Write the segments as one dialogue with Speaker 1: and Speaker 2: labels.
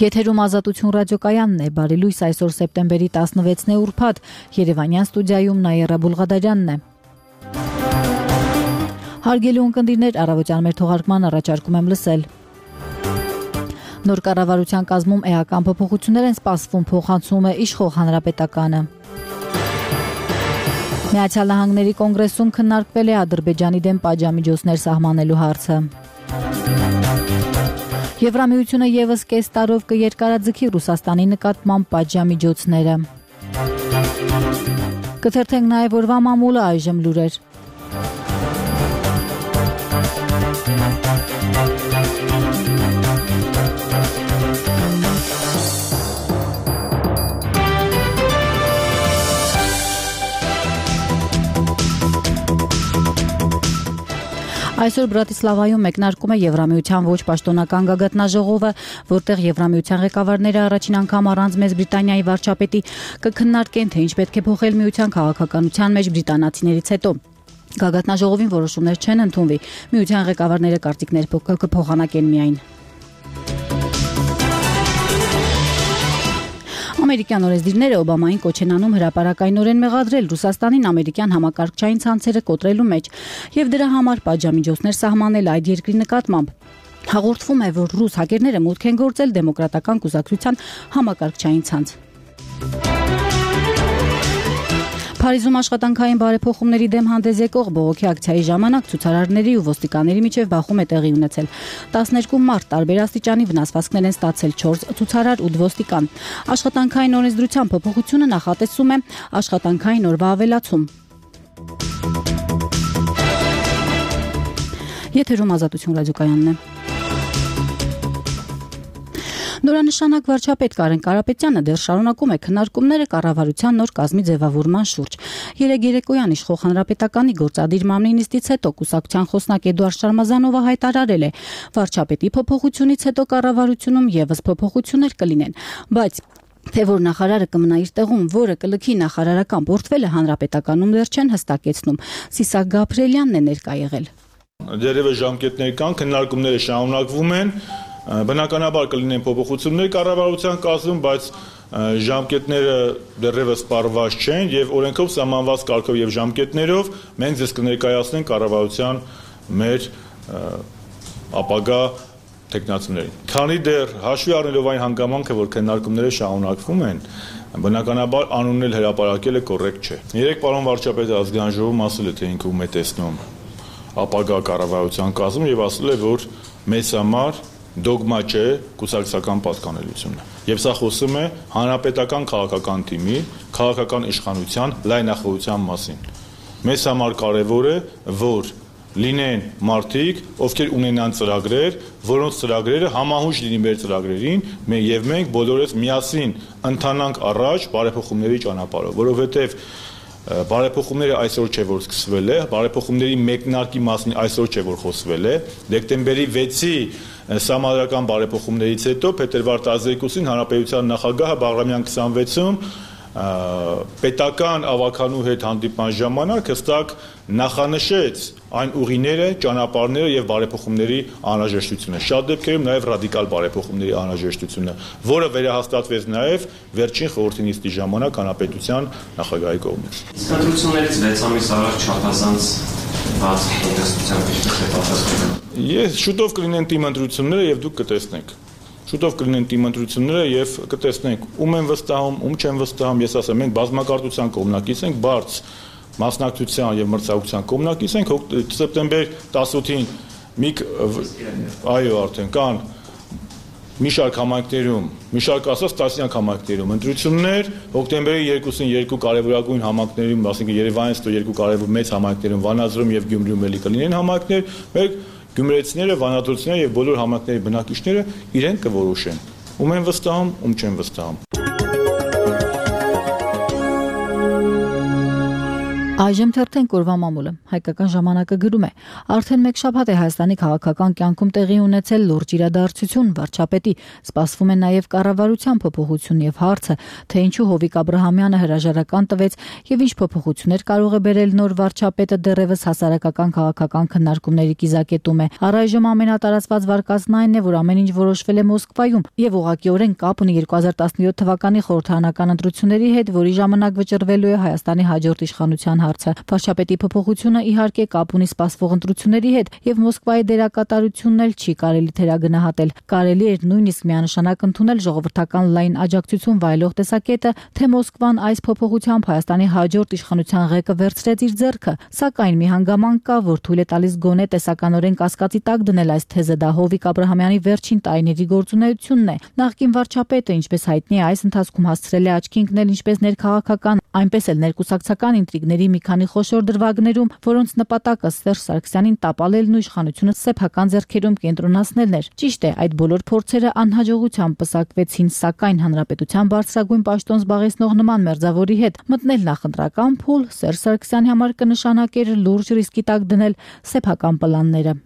Speaker 1: Եթերում Ազատություն ռադիոկայանն է, բարի լույս, այսօր սեպտեմբերի 16-ն է ուրբաթ, Երևանյան ստուդիայում Նաիրա Բուլղադարյանն է։ Հարգելի ունկնդիրներ, առավոտյան մեր թողարկման առաջարկում եմ լսել։ Նոր կառավարության կազմում էական փոփոխություններ են սպասվում, փոխանցում է իշխող հանրապետականը։ Միացյալ Նահանգների կոնգրեսում քննարկվել է Ադրբեջանի դեմ պատժամիջոցներ սահմանելու հարցը։ Եվրամիությունը ևս կես տարով կերկարաձգի Ռուսաստանի նկատմամբ պատժամիջոցները։ Կթերթենք նաև օրվա մամուլը, այժմ լուրեր։ Այսօր Բրատիսլավայում մեկնարկում է Եվրամիության ոչ պաշտոնական գագաթնաժողովը, որտեղ Եվրամիության ղեկավարները առաջին անգամ առանց Մեծ Բրիտանիայի վարչապետի կքննարկեն, թե ինչ պետք է փոխել միության քաղաքականության մեջ բրիտանացիներից հետո։ Գագաթնաժողովին որոշումներ չեն ընդունվի։ Միության ղեկավարները կարծիքներ կփոխանակեն միայն։ Ամերիկյան օրենսդիրները Օբամային կոչ են անում հրապարակայնորեն մեղադրել Ռուսաստանին ամերիկյան համակարգչային ցանցերը կոտրելու մեջ եւ դրա համար պատժամիջոցներ սահմանել այդ երկրի նկատմամբ։ Հաղորդվում է, որ ռուս հակերները մուտք են գործել դեմոկրատական կուսակցության համակարգչային ցանց։ Փարիզում աշխատանքային բարեփոխումների դեմ հանդես եկող բողոքի ակցիայի ժամանակ ցուցարարների ու ոստիկանների միջև բախում է տեղի ունեցել։ 12 մարդ տարբեր աստիճանի վնասվածքներ են ստացել 4 ցուցարար 8 ոստիկան։ Աշխատանքային օրենսդրության փոփոխությունը նախատեսում է աշխատանքային օրվա ավելացում։ Եթերում Ազատություն ռադիոկայանն է։ Նորանշանակ վարչապետ Կարեն Կարապետյանը դեռ շարունակում է քննարկումները կառավարության նոր կազմի ձևավորման շուրջ։ Երեկ երեկոյան իշխող հանրապետականի գործադիր մամլի նիստից հետո կուսակցության խոսնակ Էդուարդ Շարմազանովը հայտարարել է. վարչապետի փոփոխությունից հետո կառավարությունում եւս փոփոխություններ կլինեն, բայց թե որ նախարարը կմնա իր տեղում, որը կլքի նախարարական պորտֆելը հանրապետականում դեռ չեն հստակեցնում։ Սիսակ Գաբրելյանն է ներկա եղել։
Speaker 2: Դերևս ժամկետներ կան, քննարկումները շարունակվում են։ Բնականաբար կլինեն փոփոխություններ կառավարության կազմում, բայց ժամկետները դեռևս պարված չեն եւ օրենքով սահմանված կարգով եւ ժամկետներով մենք ձեզ կներկայացնենք կառավարության մեր ապագա տեխնացիներին։ Քանի դեռ հաշվի առնելով այն հանգամանքը, որ քննարկումները շարունակվում են, բնականաբար անուննել հրապարակելը կոռեկտ չէ։ Երեք պարոն վարչապետը ազգային ժողովում ասել է, թե ինքը ում է տեսնում ապագա կառավարության կազմում եւ ասել է, որ մեզ համար դոգմա չէ կուսակցական պատկանելությունը։ Եվ սա խոսում է հանրապետական քաղաքական թիմի, քաղաքական իշխանության լայնախոհության մասին։ Մեզ համար կարևոր է, որ լինեն մարդիկ, ովքեր ունենան ծրագրեր, որոնց ծրագրերը համահունչ լինի մեր ծրագրերին, եւ մենք բոլորս միասին ընթանանք առաջ բարեփոխումների ճանապարհով, որովհետեւ բարեփոխումները այսօր չէ որ սկսվել է, բարեփոխումների մեկնարկի մասին այսօր չէ որ խոսվել է, դեկտեմբերի 6-ի սահմանադրական բարեփոխումներից հետո փետրվար 12-ին հանրապետության նախագահը Բաղրամյան 26-ում պետական ավականու հետ հանդիպման ժամանակ հստակ նախանշեց այն ուղիները, ճանապարհները եւ բարեփոխումների անհրաժեշտությունը։ Շատ դեպքերում նաեւ ռադիկալ բարեփոխումների անհրաժեշտությունը, որը վերահաստատվեց նաեւ վերջին խորհրդի նիստի ժամանակ հանրապետության նախագահի կողմից։
Speaker 3: Իսկ ընտրություններից 6 ամիս առաջ չափազանց բաց տնտեսության պատասխանը։
Speaker 2: Ես շուտով կլինեն թիմ ընտրությունները եւ դուք կտեսնեք։ Շուտով կլինեն թիմ ընտրությունները եւ կտեսնենք ում են վստահում, ում չեն վստահում։ Ես ասեմ, մենք բազմակարծության կողմնակից ենք, բարձ մասնակցության եւ մրցակցության կողմնակից ենք։ Սեպտեմբեր 18-ին այո, արդեն կան մի շարք համայնքներում, մի շարք ասած տասնյակ համայնքներում ընտրություններ, հոկտեմբերի 2-ին երկու կարևորագույն համայնքներում, ասենք Երևանից հետո երկու կարևոր մեծ համայնքներում, Վանաձորում եւ Գյումրիում էլի կլինեն համայնքներ, մեր գյումրեցիները, վանաձորցիները եւ բոլոր համայնքների բնակիչները իրենք կորոշեն, ում են վստահում, ում չեն վստահում։
Speaker 1: Այժմ թերթենք օրվա մամուլը։ Հայկական ժամանակը գրում է. արդեն մեկ շաբաթ է Հայաստանի քաղաքական կյանքում տեղի ունեցել լուրջ իրադարձություն, վարչապետի սպասվում է նաև կառավարության փոփոխություն եւ հարցը, թե ինչու Հովիկ Աբրահամյանը հրաժարական տվեց եւ ինչ փոփոխություններ կարող է բերել նոր վարչապետը դեռևս հասարակական քաղաքական քննարկումների կիզակետում է։ Առայժմ ամենատարածված վարկածն այն է, որ ամեն ինչ որոշվել է Մոսկվայում եւ ուղղակիորեն կապ ունի 2017 թվականի խորհրդարանական ընտրությունների հետ, որի ժամանակ վճռվելու է Հայաստանի հաջորդ իշխանության հարցը։ Վարչապետի փոփոխությունը իհարկե կապ ունի սպասվող ընտրությունների հետ եւ Մոսկվայի դերակատարությունն էլ չի կարելի թերագնահատել։ Կարելի էր նույնիսկ միանշանակ ընդունել ժողովրդական լայն աջակցություն վայելող տեսակետը, թե Մոսկվան այս փոփոխությամբ Հայաստանի հաջորդ իշխանության ղեկը վերցրեց իր ձեռքը, սակայն մի հանգամանք կա, որ թույլ է տալիս գոնե տեսականորեն կասկածի տակ դնել այս թեզը, դա Հովիկ Աբրահամյանի վերջին տարիների գործունեությունն է։ Նախկին վարչապետը, ինչպես հայտնի է, այս ընթացքում հասցրել է աչքի ընկնել ինչպես ներքաղաքական, այնպես էլ ներկուսակցական ինտրիգների մի քանի խոշոր դրվագներում, որոնց նպատակը Սերժ Սարգսյանին տապալելն ու իշխանությունը սեփական ձեռքերում կենտրոնացնելն էր։ Ճիշտ է, այդ բոլոր փորձերը անհաջողությամբ պսակվեցին, սակայն հանրապետության բարձրագույն պաշտոն զբաղեցնող նման մերձավորի հետ մտնել նախընտրական փուլ Սերժ Սարգսյանի համար կնշանակեր լուրջ ռիսկի տակ դնել սեփական պլանները։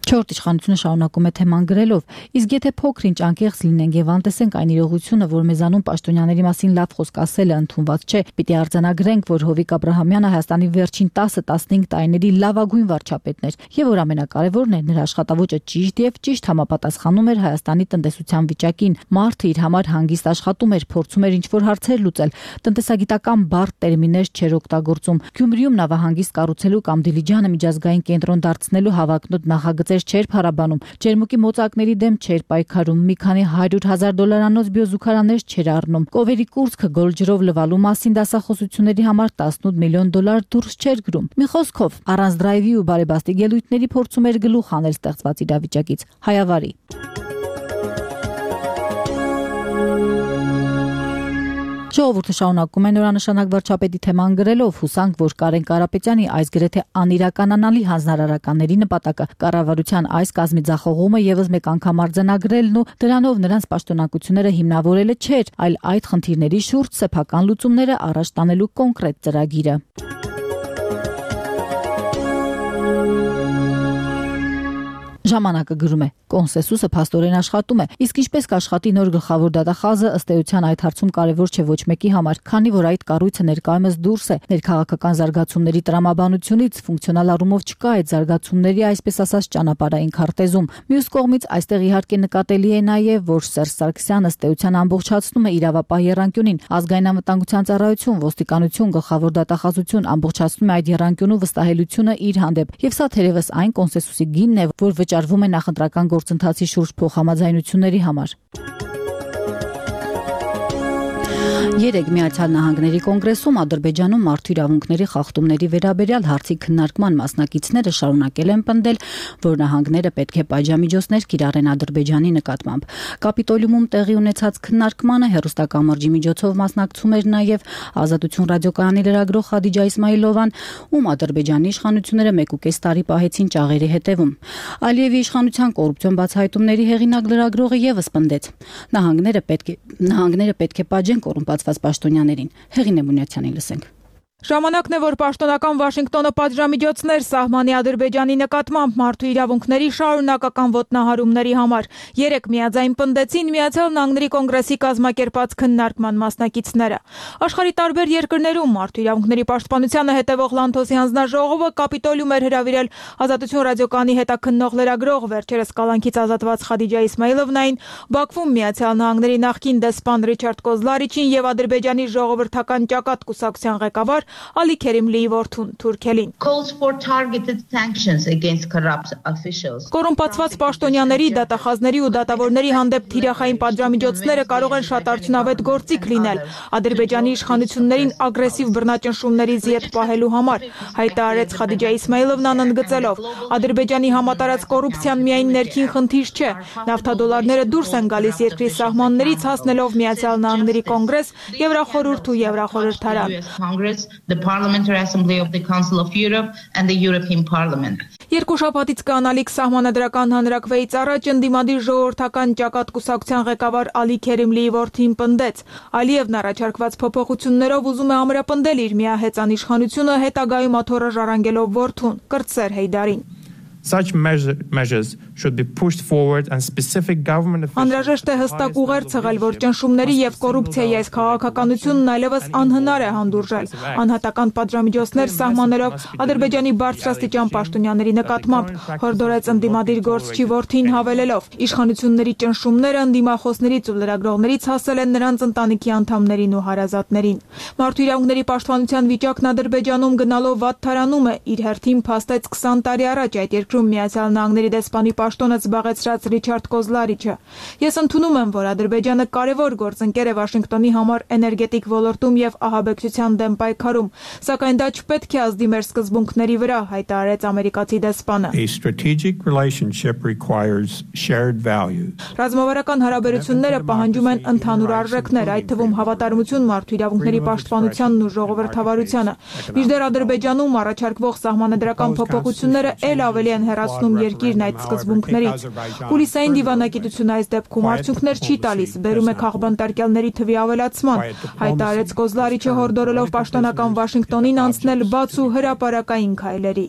Speaker 1: Չորրորդ իշխանությունը շարունակում է թեման գրելով. իսկ եթե փոքր-ինչ անկեղծ լինենք եւ անտեսենք այն իրողությունը, որ մեզանում պաշտոնյաների մասին լավ խոսք ասելը ընդունված չէ, պիտի արձանագրենք, որ Հովիկ Աբրահամյանը Հայաստանի վերջին 10-15 տարիների լավագույն վարչապետն էր եւ որ ամենակարևորն է, նրա աշխատավոճը ճիշտ եւ ճիշտ համապատասխանում էր Հայաստանի տնտեսության վիճակին։ Մարդը իր համար հանգիստ աշխատում էր, փորձում էր ինչ-որ հարցեր լուծել, տնտեսագիտական բարդ տերմիններ չէր օգտագործում։ Գյումրիում նավահանգիստ կառուցելու կամ Դիլիջանը միջազգային կենտրոն դարձնելու հավակնոտ նախագծեր չէր փառաբանում, ջերմուկի մոծակների դեմ չէր պայքարում, մի քանի $100,000 բիոզուգարաններ չէր առնում, կովերի կուրծքը գոլջրով լվալու մասին դասախոսությունների համար $18 միլիոն դուրս չէր գրում։ Մի խոսքով, առանց դրայվի ու բարեբաստիկ ելույթների փորձում էր գլուխ հանել ստեղծված իրավիճակից։ Հայավարի։ Ժողովուրդը շարունակում է նորանշանակ վարչապետի թեման գրելով, հուսանք, որ Կարեն Կարապետյանի այս գրեթե անիրականանալի հանձնարարականների նպատակը կառավարության այս կազմի ձախողումը եւս մեկ անգամ արձանագրելն ու դրանով նրանց պաշտոնակությունները հիմնավորելը չէր, այլ այդ խնդիրների շուրջ սեփական լուծումները առաջ տանելու կոնկրետ ծրագիրը։ Ժամանակը գրում է. կոնսենսուսը փաստորեն աշխատում է, իսկ ինչպես կաշխատի նոր գլխավոր դատախազը, ըստ էության այդ հարցում կարևոր չէ ոչ մեկի համար, քանի որ այդ կառույցը ներկայումս դուրս է ներքաղաքական զարգացումների տրամաբանությունից, ֆունկցիոնալ առումով չկա այդ զարգացումների այսպես ասած ճանապարհային քարտեզում։ Մյուս կողմից այստեղ իհարկե նկատելի է նաև, որ Սերժ Սարգսյանը ըստ էության ամբողջացնում է իրավապահ եռանկյունին, ազգային անվտանգության ծառայություն, ոստիկանություն, գլխավոր դատախազություն ամբողջացնում է այդ եռանկյունու վստահելիությունը իր հանդեպ, եւ սա թերևս այն կոնսենսուսի գինն է, որ վճարվում է նախընտրական գործընթացի շուրջ փոխհամաձայնությունների համար։ Երեկ Միացյալ Նահանգների կոնգրեսում Ադրբեջանում մարդու իրավունքների խախտումների վերաբերյալ հարցի քննարկման մասնակիցները շարունակել են պնդել, որ նահանգները պետք է պատժամիջոցներ կիրառեն Ադրբեջանի նկատմամբ։ Կապիտոլիումում տեղի ունեցած քննարկմանը հեռուստակամրջի միջոցով մասնակցում էր նաև Ազատություն ռադիոկայանի լրագրող Խադիջա Իսմայիլովան, ում Ադրբեջանի իշխանությունները 1.5 տարի պահեցին ճաղերի հետևում։ Ալիևի իշխանության կոռուպցիոն բացահայտումների հեղինակ լրագրողը եւս պնդեց. նահանգները պետք է պատժեն կոռումպացված պաշտոնյաներին։ Հեղինե Մունյացյանին լսենք։
Speaker 4: Ժամանակն է, որ պաշտոնական Վաշինգտոնը պատժամիջոցներ սահմանի Ադրբեջանի նկատմամբ մարդու իրավունքների շարունակական ոտնահարումների համար։ Երեկ միաձայն պնդեցին Միացյալ Նահանգների կոնգրեսի կազմակերպած քննարկման մասնակիցները։ Աշխարհի տարբեր երկրներում մարդու իրավունքների պաշտպանությանը հետևող Լանթոսի հանձնաժողովը Կապիտոլիում էր հրավիրել Ազատություն ռադիոկայանի հետաքննող լրագրող, վերջերս կալանքից ազատված Խադիջա Իսմայիլովնային, Բաքվում Միացյալ Նահանգների նախկին դեսպան Ռիչարդ Կոզլարիչին եւ Ադրբեջանի ժողովրդական ճակատ կուսակցության ղեկավար Ալի Քերիմլիի որդուն Թուրքելին։ Կոռումպացված պաշտոնյաների, դատախազների ու դատավորների հանդեպ թիրախային պատժամիջոցները կարող են շատ արդյունավետ գործիք լինել Ադրբեջանի իշխանություններին ագրեսիվ բռնաճնշումներից ետ պահելու համար, հայտարարեց Խադիջա Իսմայիլովնան ընդգծելով. Ադրբեջանի համատարած կոռուպցիան միայն ներքին խնդիր չէ, նավթադոլարները դուրս են գալիս երկրի սահմաններից, հասնելով Միացյալ Նահանգների կոնգրես, Եվրախորհուրդ ու Եվրախորհրդարան։
Speaker 5: The Parliamentary Assembly of the Council of Europe and the European Parliament.
Speaker 4: Երկու շաբաթից կանալիք սահմանադրական հանրակրվեից առաջ ընդդիմադիր ժողովրդական ճակատ կուսակցության ղեկավար Ալի Քերիմլիի որդին պնդեց. Ալիևն առաջարկված փոփոխություններով ուզում է ամրապնդել իր միահեծան իշխանությունը, հետագայում աթոռը ժառանգելով որդուն՝ Կրտսեր Հեյդարին։
Speaker 5: Such measures should be pushed forward and specific government officials.
Speaker 4: Անհրաժեշտ է հստակ ուղեր ցղել, որ ճնշումների եւ կոռուպցիայի այս քաղաքականությունն այլևս անհնար է հանդուրժել։ Անհատական պատժամիջոցներ սահմանելով Ադրբեջանի բարձրաստիճան պաշտոնյաների նկատմամբ, հորդորեց ընդդիմադիր գործչի որդին հավելելով. իշխանությունների ճնշումները ընդդիմախոսներից ու լրագրողներից հասել են նրանց ընտանիքի անդամներին ու հարազատներին։ Մարդու իրավունքների պաշտպանության վիճակն Ադրբեջանում գնալով վատթարանում է, իր հերթին փաստեց 20 տարի առաջ այդ երկրում Միացյալ Նահանգների դեսպանի պաշտոնը զբաղեցրած Ռիչարդ Կոզլարիչը։ Ես ընդունում եմ, որ Ադրբեջանը կարևոր գործընկեր է Վաշինգտոնի համար էներգետիկ ոլորտում եւ ահաբեկչության դեմ պայքարում, սակայն դա չպետք է ազդի մեր սկզբունքների վրա, հայտարարեց ամերիկացի դեսպանը։
Speaker 5: A strategic relationship requires shared values.
Speaker 4: Ռազմավարական հարաբերությունները պահանջում են ընդհանուր արժեքներ, այդ թվում հավատարմություն մարդու իրավունքների պաշտպանությանն ու ժողովրդավարությանը։ Մինչդեռ Ադրբեջանում առաջարկվող սահմանադրական փոփոխությունները ել ավելի են հեռացնում երկիրն այդ սկզբունքներից։ Կուլիսային դիվանագիտությունը այս դեպքում արդյունքներ չի տալիս, բերում է քաղբանտարկյալների թվի ավելացման, հայտարարեց Կոզլարիչը հորդորելով պաշտոնական Վաշինգտոնին անցնել բաց ու հրապարակային քայլերի։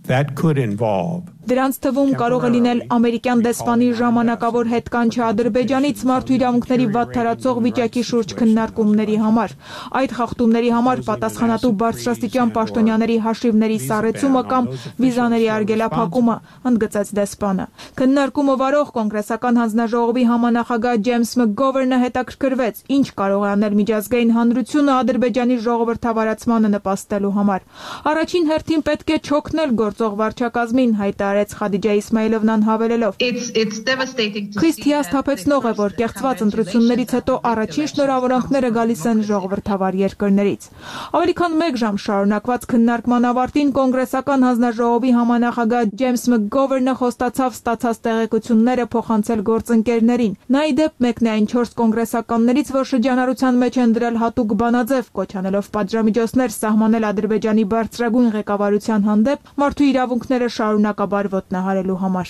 Speaker 5: That could involve
Speaker 4: Դրանց թվում կարող է լինել ամերիկյան դեսպանի ժամանակավոր հետկանչը Ադրբեջանից մարդու իրավունքների վատթարացող վիճակի շուրջ քննարկումների համար։ Այդ խախտումների համար պատասխանատու բարձրաստիճան պաշտոնյաների հաշիվների սառեցումը կամ վիզաների արգելափակումը, ընդգծեց դեսպանը։ Քննարկումը վարող կոնգրեսական հանձնաժողովի համանախագահ Ջեյմս Մկգովերնը հետաքրքրվեց, ինչ կարող է անել միջազգային հանրությունը Ադրբեջանի ժողովրդավարացմանը նպաստելու համար։ Առաջին հերթին պետք է չօգնել գործող վարչակազմին, հայտարարեց Խադիջա Իսմայիլովնան հավելելով. Խիստ հիասթափեցնող է, որ կեղծված ընտրություններից հետո առաջին շնորհավորանքները գալիս են ժողովրդավար երկրներից։ Ավելի քան 1 ժամ շարունակված քննարկման ավարտին կոնգրեսական հանձնաժողովի համանախագահ Ջեյմս Մկգովերնը խոստացավ ստացած տեղեկությունները փոխանցել գործընկերներին։ Նա ի դեպ մեկն է այն 4 կոնգրեսականներից, որ շրջանառության մեջ են դրել հատուկ բանաձև, կոչանելով պատժամիջոցներ սահմանել Ադրբեջանի բարձրագույն ղեկավարության հանդեպ մարդու իրավունքները շարունակաբար ոտնահարելու համար։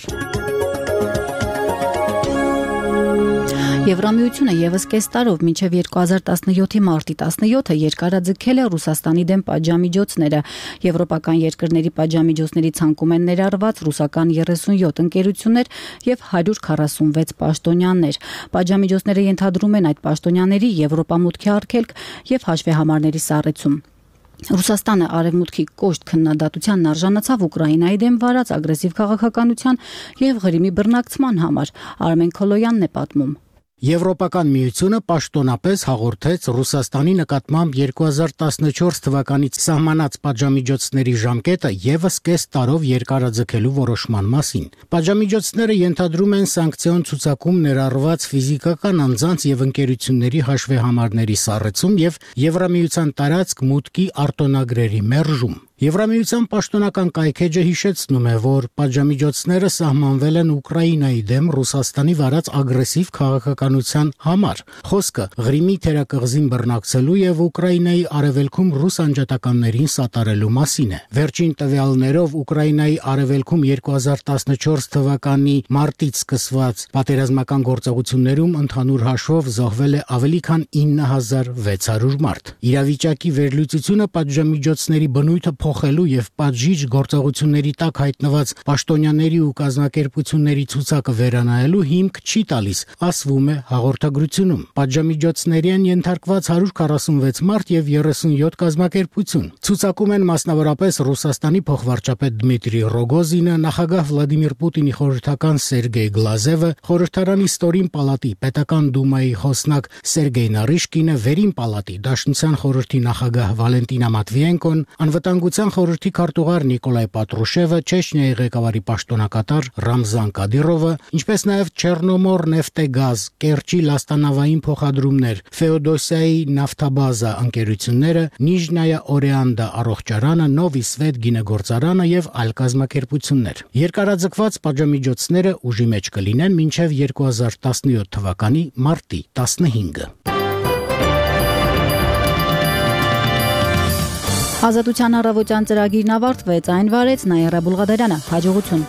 Speaker 1: Եվրամիությունը եւս կես տարով մինչև 2017-ի մարտի 17-ը երկարաձգել է Ռուսաստանի դեմ պատժամիջոցները։ Եվրոպական երկրների պատժամիջոցների ցանկում են ներառված ռուսական 37 ընկերություններ եւ 146 պաշտոնյաներ։ Պատժամիջոցները ենթադրում են այդ պաշտոնյաների Եվրոպամուտքի արգելք եւ հաշվեհամարների սառեցում։ Ռուսաստանը արևմուտքի կոշտ քննադատությանն արժանացավ Ուկրաինայի դեմ վարած ագրեսիվ քաղաքականության եւ Ղրիմի բռնակցման համար, Արմեն Քոլոյանն է պատմում։
Speaker 6: Եվրոպական միությունը պաշտոնապես հաղորդեց Ռուսաստանի նկատմամբ 2014 թվականից սահմանած պատժամիջոցների ժամկետը եւս կես տարով երկարաձգելու որոշման մասին։ Պատժամիջոցները ենթադրում են սանկցիոն ցուցակում ներառված ֆիզիկական անձանց եւ ընկերությունների հաշվեհամարների սառեցում եւ Եվրամիության տարածք մուտքի արտոնագրերի մերժում։ Եվրամիության պաշտոնական կայքեջը հիշեցնում է, որ պատժամիջոցները սահմանվել են Ուկրաինայի դեմ Ռուսաստանի վարած ագրեսիվ քաղաքականության համար։ Խոսքը Ղրիմի թերակղզին բռնակցելու եւ Ուկրաինայի արևելքում ռուս անջատականներին սատարելու մասին է։ Վերջին տվյալներով Ուկրաինայի արևելքում 2014 թվականի մարտից սկսված պատերազմական գործողություններում ընդհանուր հաշվով զոհվել է ավելի քան 9600 մարդ։ Իրավիճակի վերլուծությունը պատժամիջոցների բնույթը փոխելու եւ պատժիչ գործողությունների տակ հայտնված պաշտոնյաների ու կազմակերպությունների ցուցակը վերանայելու հիմք չի տալիս, ասվում է հաղորդագրությունում։ Պատժամիջոցների են ենթարկված 146 մարդ եւ 37 կազմակերպություն։ Ցուցակում են մասնավորապես Ռուսաստանի փոխվարչապետ Դմիտրի Ռոգոզինը, նախագահ Վլադիմիր Պուտինի խորհրդական Սերգեյ Գլազևը, խորհրդարանի ստորին պալատի պետական դումայի խոսնակ Սերգեյ Նարիշկինը, վերին պալատի Դաշնության խորհրդի նախագահ Վալենտինա Մատվիենկոն, անվտանգության խորհրդի քարտուղար Նիկոլայ Պատրուշևը, Չեչնիայի ղեկավարի պաշտոնակատար Ռամզան Կադիրովը, ինչպես նաև Չեռնոմոր նեֆտեգազ, Կերչի լաստանավային փոխադրումներ, Ֆեոդոսիայի նավթաբազա ընկերությունները, Նիժնայա Օրեանդա առողջարանը, Նովի Սվետ գինեգործարանը եւ այլ կազմակերպություններ։ Երկարաձգված պատժամիջոցները ուժի մեջ կլինեն մինչև 2017 թվականի մարտի 15-ը։
Speaker 1: Ազատության առավոտյան ծրագիրն ավարտվեց, այն վարեց Նաիրա Բուլղադարյանը, հաջողություն։